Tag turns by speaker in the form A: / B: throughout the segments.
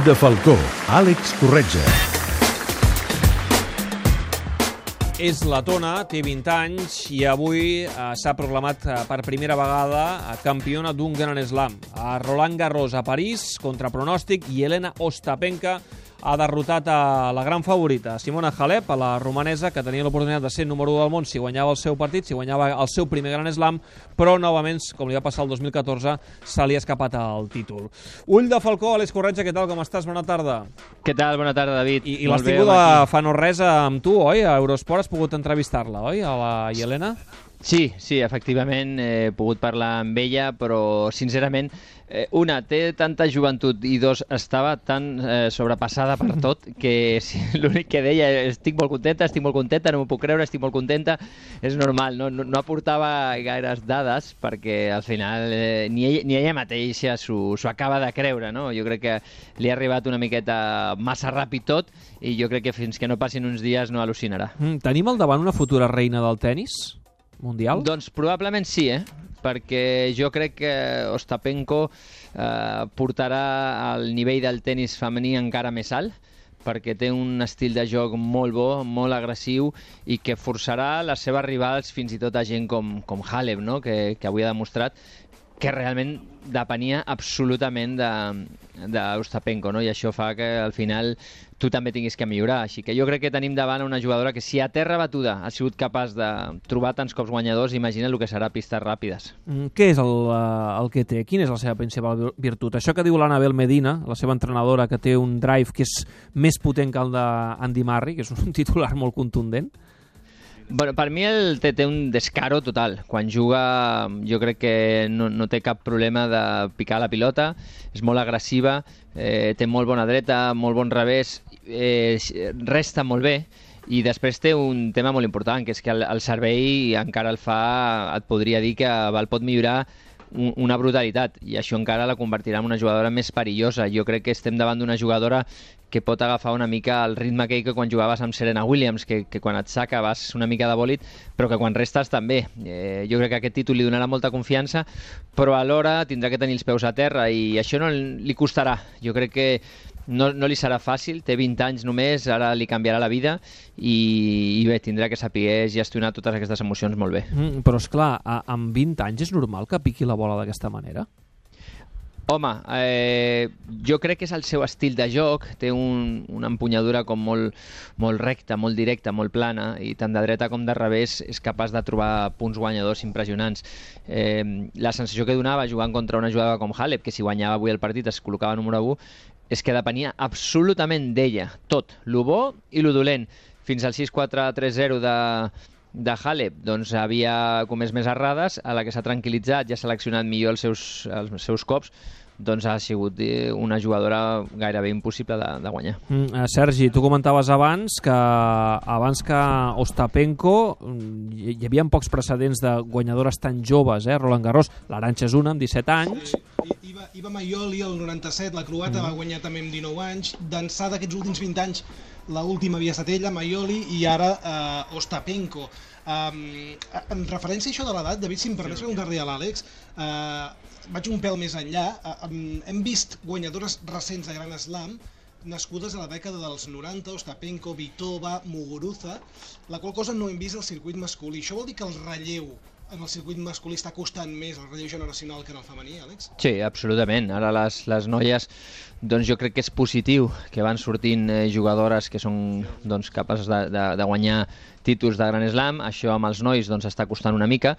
A: de Falcó, Àlex Corretja.
B: És letona, té 20 anys i avui s'ha proclamat per primera vegada campiona d'un Gran Slam. A Roland Garros a París, contra pronòstic, i Elena Ostapenko ha derrotat a la gran favorita, Simona Halep, a la romanesa, que tenia l'oportunitat de ser número 1 del món si guanyava el seu partit, si guanyava el seu primer Gran Slam, però novament, com li va passar el 2014, se li ha escapat el títol. Ull de Falcó, Àlex Corretja, què tal, com estàs? Bona tarda.
C: Què tal? Bona tarda, David.
B: I l'has tingut fa no res amb tu, oi? A Eurosport has pogut entrevistar-la, oi? A la Yelena?
C: Sí, efectivament, he pogut parlar amb ella, però sincerament, una, té tanta joventut i dos, estava tan sobrepassada per tot que l'únic que deia estic molt contenta, no m'ho puc creure, estic molt contenta, és normal, no aportava gaires dades perquè al final ni ella mateixa s'ho acaba de creure, no? Jo crec que li ha arribat una miqueta massa ràpid tot i jo crec que fins que no passin uns dies no al·lucinarà.
B: Tenim al davant una futura reina del tennis mundial?
C: Doncs probablement sí, perquè jo crec que Ostapenko portarà el nivell del tennis femení encara més alt, perquè té un estil de joc molt bo, molt agressiu i que forçarà les seves rivals fins i tot a gent com Halep, no? que avui ha demostrat que realment depenia absolutament d'Ostapenko, no? I això fa que al final tu també tinguis que millorar. Així que jo crec que tenim davant una jugadora que si a terra batuda ha sigut capaç de trobar tants cops guanyadors, imagina el que serà pistes ràpides.
B: Què és el que té? Quina és la seva principal virtut? Això que diu l'Anabel Medina, la seva entrenadora, que té un drive que és més potent que el d'Andy Murray, que és un titular molt contundent?
C: Bueno, per mi té un descaro total. Quan juga jo crec que no té cap problema de picar la pilota, és molt agressiva, té molt bona dreta, molt bon revés, resta molt bé i després té un tema molt important, que és que el servei encara et podria dir que el pot millorar una brutalitat i això encara la convertirà en una jugadora més perillosa. Jo crec que estem davant d'una jugadora que pot agafar una mica el ritme que quan jugaves amb Serena Williams, que quan et saca vas una mica de bòlit, però que quan restes també. Jo crec que aquest títol li donarà molta confiança, però alhora tindrà que tenir els peus a terra i això no li costarà. Jo crec que no li serà fàcil, té 20 anys només, ara li canviarà la vida i bé, tindrà que saber gestionar totes aquestes emocions molt bé.
B: Però esclar, amb 20 anys és normal que piqui la bola d'aquesta manera?
C: Home, jo crec que és el seu estil de joc, té una empunyadura com molt recta, molt directa, molt plana, i tant de dreta com de revés és capaç de trobar punts guanyadors impressionants. La sensació que donava jugant contra una jugadora com Halep, que si guanyava avui el partit es col·locava número 1, és que depenia absolutament d'ella, tot, lo bo i lo dolent. Fins al 6-4-3-0 de Halep doncs havia comès més errades, a la que s'ha tranquil·litzat i ha seleccionat millor els seus cops, doncs ha sigut una jugadora gairebé impossible de guanyar.
B: Sergi, tu comentaves abans que Ostapenko hi havia pocs precedents de guanyadores tan joves, Roland Garros. l'Arantxa és una, amb 17 anys.
D: Iva Maioli, el 97, la croata, va guanyar també amb 19 anys. D'ençà d'aquests últims 20 anys, l'última havia estat ella, Maioli, i ara Ostapenko. En referència a això de l'edat, David, si em permets preguntar-li a l'Àlex, vaig un pèl més enllà. Hem vist guanyadores recents de Gran Slam nascudes a la dècada dels 90, Ostapenko, Vitova, Muguruza, la qual cosa no hem vist al circuit masculí. Això vol dir que el relleu en el circuit masculí està costant més el relleu generacional que en el femení, Àlex?
C: Sí, absolutament. Ara les noies, doncs jo crec que és positiu que van sortint jugadores que són capaces de guanyar títols de Gran Slam. Això amb els nois està costant una mica.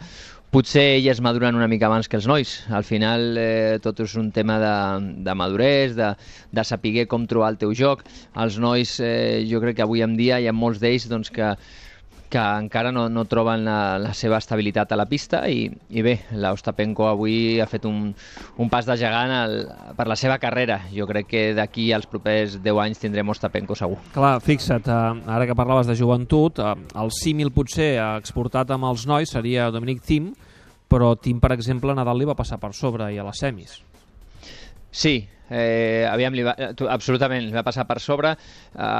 C: Potser elles maduren una mica abans que els nois. Al final tot és un tema de maduresa, de saber com trobar el teu joc. Els nois, jo crec que avui en dia hi ha molts d'ells que encara no troben la seva estabilitat a la pista i bé, l'Ostapenko avui ha fet un pas de gegant per la seva carrera. Jo crec que d'aquí als propers 10 anys tindrem Ostapenko segur.
B: Clar, fixa't, ara que parlaves de joventut, el símil potser exportat amb els nois seria Dominic Thiem, però Thiem, per exemple, Nadal li va passar per sobre i a les semis.
C: Sí, absolutament, li va passar per sobre.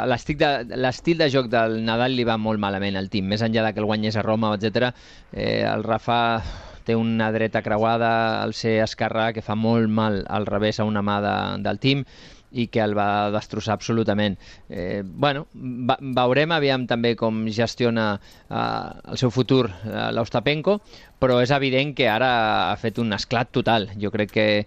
C: L'estil de joc del Nadal li va molt malament al Thiem, més enllà que el guanyés a Roma, etc. El Rafa té una dreta creuada al ser esquerrà que fa molt mal al revés a una mà del Thiem i que el va destrossar absolutament. Veurem aviam també com gestiona el seu futur l'Ostapenko, però és evident que ara ha fet un esclat total. Jo crec que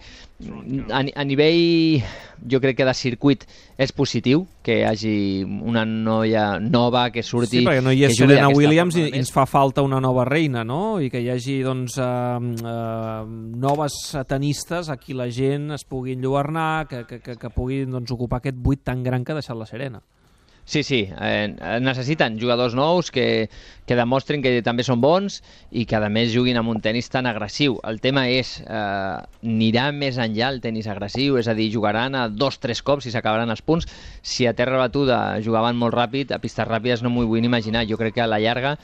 C: a nivell de circuit és positiu que hi hagi una noia nova que surti...
B: Sí, perquè no hi és Serena Williams i ens fa falta una nova reina, no? I que hi hagi noves tenistes a qui la gent es pugui enlluernar, que puguin ocupar aquest buit tan gran que ha deixat la Serena.
C: Sí, necessiten jugadors nous que demostrin que també són bons i que a més juguin amb un tenis tan agressiu. El tema és, anirà més enllà el tenis agressiu, és a dir, jugaran a 2-3 cops i s'acabaran els punts. Si a terra batuda jugaven molt ràpid, a pistes ràpides no m'ho vull imaginar. Jo crec que a la llarga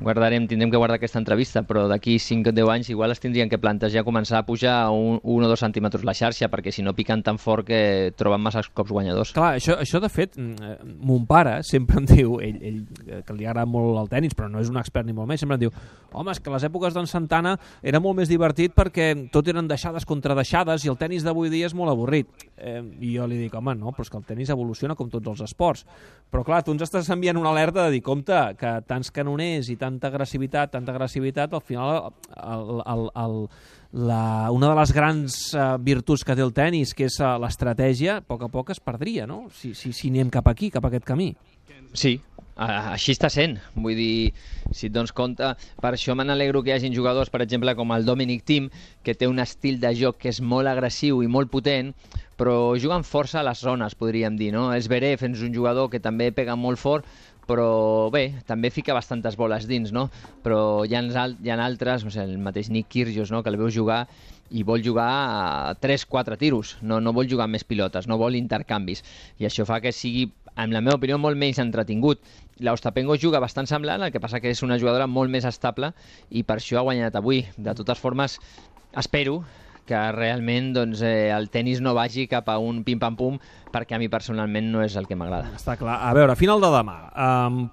C: tindrem que guardar aquesta entrevista, però d'aquí 5 o 10 anys igual es tindrien que plantejar començar a pujar 1 o 2 centímetres la xarxa, perquè si no piquen tan fort que troben massa cops guanyadors.
B: Clar, això de fet, mon pare sempre em diu, ell que li agrada molt el tenis, però no és un expert ni molt més, sempre em diu, home, és que les èpoques d'en Santana era molt més divertit perquè tot eren deixades contra deixades i el tenis d'avui dia és molt avorrit. I jo li dic, home, no, però és que el tenis evoluciona com tots els esports. Però clar, tu ens estàs enviant una alerta de dir, compte, que tants canoners i tanta agressivitat, al final una de les grans virtuts que té el tenis, que és l'estratègia, a poc es perdria, no? Si anem cap aquí, cap a aquest camí.
C: Sí, així està sent. Vull dir, si et dones compte, per això me n'alegro que hi hagin jugadors, per exemple, com el Dominic Thiem, que té un estil de joc que és molt agressiu i molt potent, però juguen força a les zones, podríem dir, no? Zverev és un jugador que també pega molt fort, però bé, també fica bastantes boles dins, no? Però hi ha altres, no sé, el mateix Nick Kyrgios, no? Que el veus jugar i vol jugar a 3-4 tiros, no vol jugar amb més pilotes, no vol intercanvis, i això fa que sigui, en la meva opinió, molt menys entretingut. L'Ostapenko juga bastant semblant, el que passa que és una jugadora molt més estable i per això ha guanyat avui. De totes formes, espero que realment el tenis no vagi cap a un pim-pam-pum, perquè a mi personalment no és el que m'agrada.
B: Està clar. A veure, final de demà,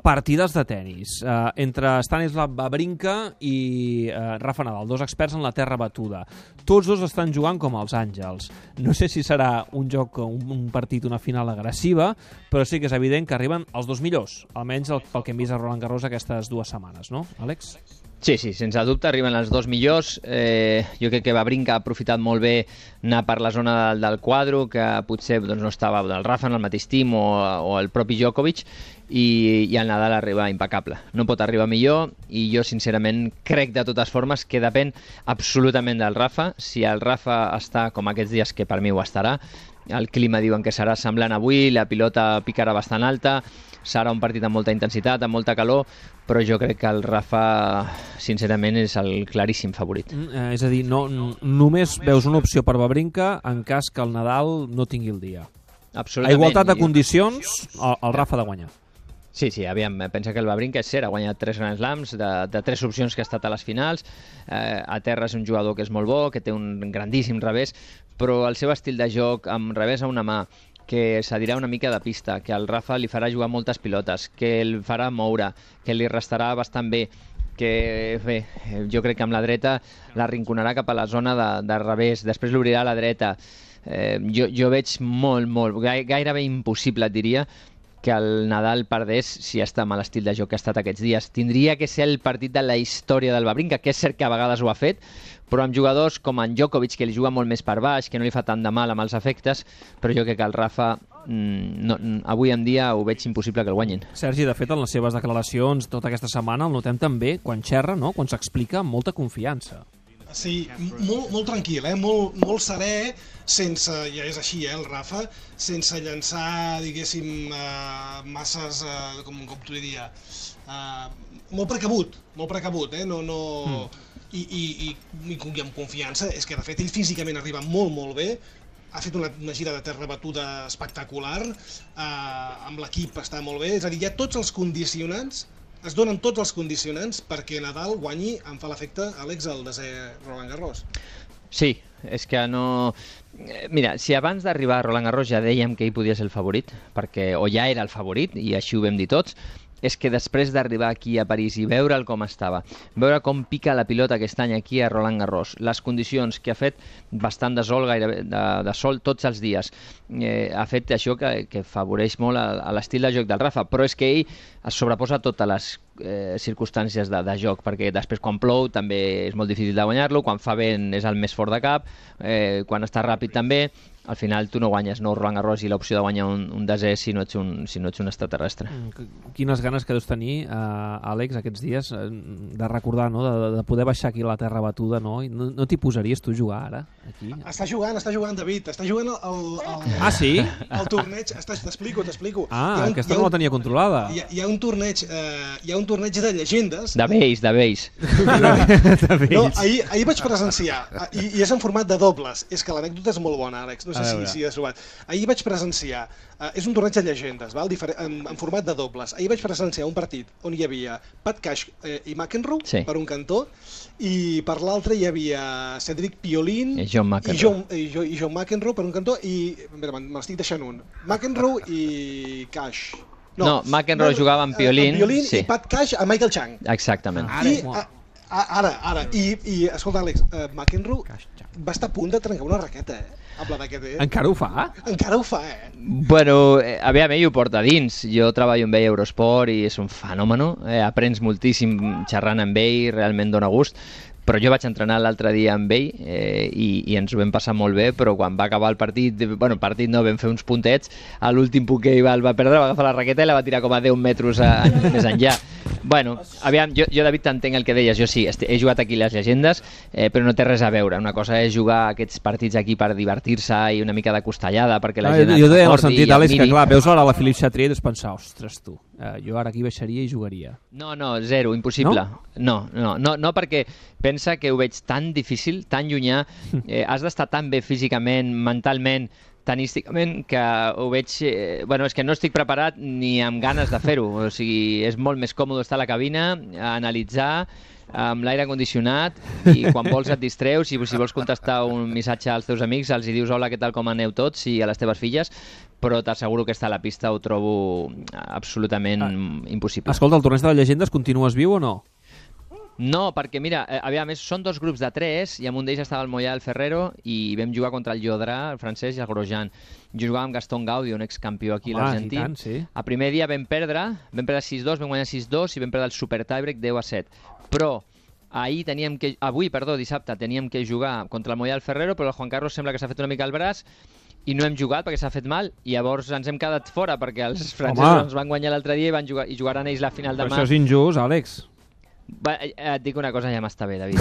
B: partides de tenis entre Stanislav Wawrinka i Rafa Nadal, dos experts en la terra batuda. Tots dos estan jugant com els àngels. No sé si serà un joc, un partit, una final agressiva, però sí que és evident que arriben els dos millors, almenys pel que hem vist a Roland Garros aquestes 2 setmanes, no, Àlex?
C: Sí, sense dubte arriben els dos millors. Jo crec que Wawrinka ha aprofitat molt bé anar per la zona del quadro, que potser no estava el Rafa en el mateix team o el propi Djokovic, i el Nadal arriba impecable. No pot arribar millor, i jo sincerament crec de totes formes que depèn absolutament del Rafa. Si el Rafa està com aquests dies, que per mi ho estarà, el clima diuen que serà semblant avui, la pilota picarà bastant alta, serà un partit amb molta intensitat, amb molta calor, però jo crec que el Rafa, sincerament, és el claríssim favorit.
B: És a dir, només veus una opció per Wawrinka en cas que el Nadal no tingui el dia.
C: Absolutament.
B: A igualtat de condicions, el Rafa ha de guanyar.
C: Sí, aviam, pensa que el Wawrinka és cert, ha guanyat 3 Grand Slams, de 3 opcions que ha estat a les finals, a terra és un jugador que és molt bo, que té un grandíssim revés, però el seu estil de joc amb revés a una mà, que cedirà una mica de pista, que el Rafa li farà jugar moltes pilotes, que el farà moure, que li restarà bastant bé, que bé, jo crec que amb la dreta l'arrinconarà cap a la zona de revés, després l'obrirà a la dreta. Jo veig gairebé impossible, et diria, que el Nadal perdés si està amb l'estil de joc que ha estat aquests dies. Tindria que ser el partit de la història del Wawrinka, que és cert que a vegades ho ha fet, però amb jugadors com en Djokovic, que li juga molt més per baix, que no li fa tant de mal amb els efectes, però jo crec que el Rafa avui en dia ho veig impossible que el guanyin.
B: Sergi, de fet, en les seves declaracions tota aquesta setmana el notem també quan xerra, no? Quan s'explica amb molta confiança.
D: Sí, molt tranquil, molt serè, sense, ja és així, el Rafa, sense llançar, diguéssim, masses, com t'ho diria, molt precabut, i amb confiança. És que, de fet, ell físicament arriba molt bé, ha fet una gira de terra batuda espectacular, amb l'equip està molt bé, és a dir, hi ha tots els condicionants, es donen tots els condicionants perquè Nadal guanyi, em fa l'efecte, Àlex, el desè Roland Garros.
C: Sí, és que no... Mira, si abans d'arribar a Roland Garros ja dèiem que ell podia ser el favorit, o ja era el favorit, i així ho vam dir tots, és que després d'arribar aquí a París i veure'l com estava, veure com pica la pilota aquest any aquí a Roland Garros, les condicions que ha fet bastant de sol, gairebé de sol tots els dies, ha fet això que favoreix molt a l'estil de joc del Rafa, però és que ell es sobreposa a totes les circumstàncies de joc, perquè després quan plou també és molt difícil de guanyar-lo, quan fa vent és el més fort de cap, quan està ràpid també. Al final tu no guanyes Roland Garros i l'opció de guanyar un desè si no ets un extraterrestre.
B: Quines ganes que deus tenir, Àlex, aquests dies, de recordar, no? de poder baixar aquí a la terra batuda, no? No t'hi posaries tu a jugar ara, aquí?
D: Està jugant, David, està jugant
B: Ah, sí?
D: el torneig, t'explico.
B: Ah, aquesta no la tenia controlada.
D: Hi ha un torneig de llegendes.
C: De vells.
D: No, ahir vaig presenciar, i és en format de dobles, és que l'anècdota és molt bona, Àlex, no sé si has trobat. Ahir vaig presenciar, és un torneig de llegendes, en format de dobles. Ahir vaig presenciar un partit on hi havia Pat Cash i McEnroe per un cantó, i per l'altre hi havia Cedric Piollin
C: i John
D: McEnroe per un cantó, i me n'estic deixant un, McEnroe i Cash.
C: No, McEnroe jugava amb Piollin
D: i Pat Cash a Michael Chang.
C: Exactament.
D: I escolta, Àlex, McEnroe va estar a punt de trencar una raqueta, amb la d'aquest,
B: Encara ho fa?
D: Encara ho fa,
C: Bueno, aviam, ell ho porta dins. Jo treballo amb ell a Eurosport i és un fenomen. Aprens moltíssim xerrant amb ell, realment dona gust. Però jo vaig entrenar l'altre dia amb ell i ens ho vam passar molt bé, però quan va acabar el partit, vam fer uns puntets, a l'últim punt que ell va perdre, va agafar la raqueta i la va tirar com a 10 metres més enllà. Bueno, aviam, jo David, t'entenc el que deies, jo sí, he jugat aquí les llegendes, però no té res a veure. Una cosa és jugar aquests partits aquí per divertir-se i una mica de costellada, perquè la gent
B: jo deia en el sentit, Àlex, que clar, veus ara la Philippe Chatrier i deus pensar, ostres tu, jo ara aquí baixaria i jugaria.
C: No, zero, impossible. No, perquè pensa que ho veig tan difícil, tan llunyà, has d'estar tan bé físicament, mentalment, tenísticament, que ho veig... és que no estic preparat ni amb ganes de fer-ho. O sigui, és molt més còmode estar a la cabina, a analitzar, amb l'aire condicionat, i quan vols et distreus, i si vols contestar un missatge als teus amics, els hi dius hola, què tal, com aneu tots, i a les teves filles, però t'asseguro que estar a la pista ho trobo absolutament impossible.
B: Escolta, el torneig de llegendes continues viu o no?
C: No, perquè mira, aviam, són 2 grups de 3 i amb un d'ells estava el Moyal Ferrero i vam jugar contra el Llodrà, el francès, i el Grosjean. Jo jugava amb Gaston Gaudio, un excampió aquí a l'Argentí.
B: Sí.
C: El primer dia vam perdre 6-2, vam guanyar 6-2 i vam perdre el super tiebreak 10-7. Però dissabte teníem que jugar contra el Moyal Ferrero, però el Juan Carlos sembla que s'ha fet una mica el braç i no hem jugat perquè s'ha fet mal, i llavors ens hem quedat fora perquè els francesos ens van guanyar l'altre dia i jugaran ells la final demà.
B: Però això és injust, Àlex.
C: Et dic una cosa, ja m'està bé, David.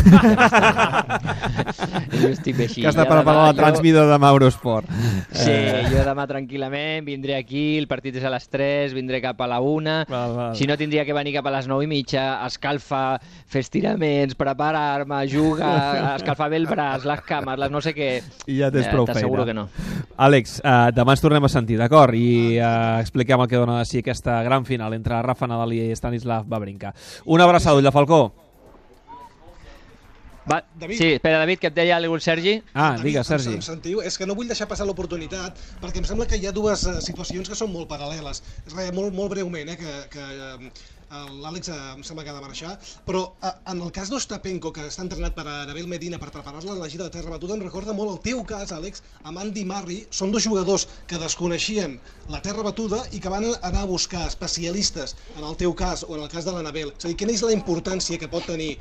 C: Jo estic bé així.
B: Que està per la transmidor de Eurosport.
C: Sí, jo demà tranquil·lament vindré aquí, el partit és a les 3, vindré cap a la 1. Si no, tindria que venir cap a les 9:30, escalfar, fer estiraments, preparar-me, jugar, escalfar bé el braç, les cames, les no sé què.
B: I ja tens prou feina.
C: T'asseguro que no.
B: Àlex, demà ens tornem a sentir, d'acord? I expliquem el que dona de si aquesta gran final entre Rafa Nadal i Stanislav Wawrinka. Una abraçada, Ull de Falcó.
C: Sí, espera, David, que et deia el Sergi.
B: Digues, Sergi.
D: Em sentiu? És que no vull deixar passar l'oportunitat, perquè em sembla que hi ha 2 situacions que són molt paral·leles. Molt breument, que l'Àlex em sembla que ha de marxar, però en el cas d'Ostapenko, que està entrenat per Anabel Medina per preparar-la en la gira de terra batuda, em recorda molt el teu cas, Àlex, amb Andy Murray. Són 2 jugadors que desconeixien la terra batuda i que van anar a buscar especialistes, en el teu cas o en el cas de l'Anabel. És a dir, quina és la importància que pot tenir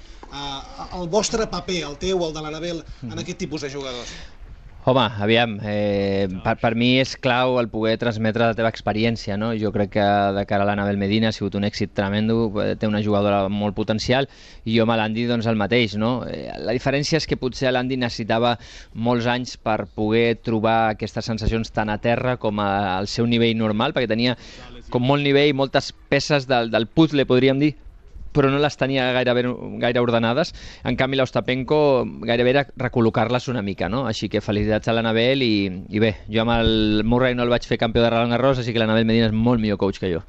D: el vostre paper, el teu o el de l'Anabel, en aquest tipus de jugadors?
C: Home, aviam, per mi és clau el poder transmetre la teva experiència, no? Jo crec que de cara a l'Anabel Medina ha sigut un èxit tremendo, té una jugadora molt potencial, i jo amb l'Andy doncs el mateix, no? La diferència és que potser l'Andy necessitava molts anys per poder trobar aquestes sensacions tant a terra com al seu nivell normal, perquè tenia com molt nivell, moltes peces del puzzle, podríem dir, però no les tenia gaire ordenades. En canvi, l'Ostapenko gairebé era recol·locar-les una mica, no? Així que felicitats a l'Anabel i bé, jo amb el Murray no el vaig fer campió de Roland Garros, així que l'Anabel Medina és molt millor coach que jo.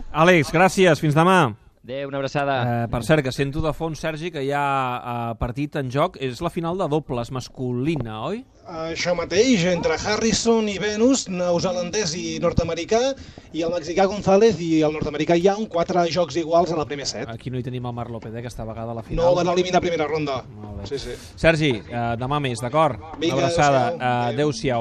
B: Àlex, gràcies, fins demà.
C: Adéu, una abraçada.
B: Per cert, que sento de fons, Sergi, que hi ha partit en joc. És la final de dobles masculina, oi?
D: Això mateix, entre Harrison i Venus, neozelandès i nord-americà, i el mexicà González i el nord-americà Young, 4 jocs iguals en el primer set.
B: Aquí no hi tenim el Marc López, aquesta vegada a la final.
D: No van eliminar a primera ronda.
B: Molt bé.
D: Sí.
B: Sergi, demà més, d'acord?
D: Vinga,
B: una abraçada.
D: adéu-siau.
B: Adéu-siau.